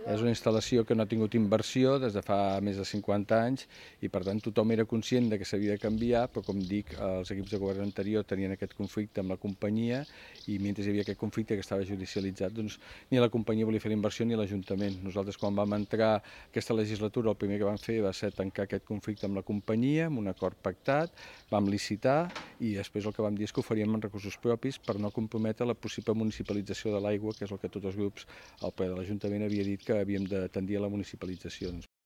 És una instal·lació que no ha tingut inversió des de fa més de 50 anys i per tant tothom era conscient de que s'havia de canviar, però com dic, els equips de govern anterior tenien aquest conflicte amb la companyia i mentre hi havia aquest conflicte que estava judicialitzat, doncs ni la companyia volia fer la inversió ni l'Ajuntament. Nosaltres quan vam entrar aquesta legislatura el primer que vam fer va ser tancar aquest conflicte amb la companyia, amb un acord pactat, vam licitar i després el que vam dir és que ho faríem amb recursos propis per no comprometre la possible municipalització de l'aigua, que és el que tots els grups al ple de l'Ajuntament havia dit que havíem de tendir a la municipalització.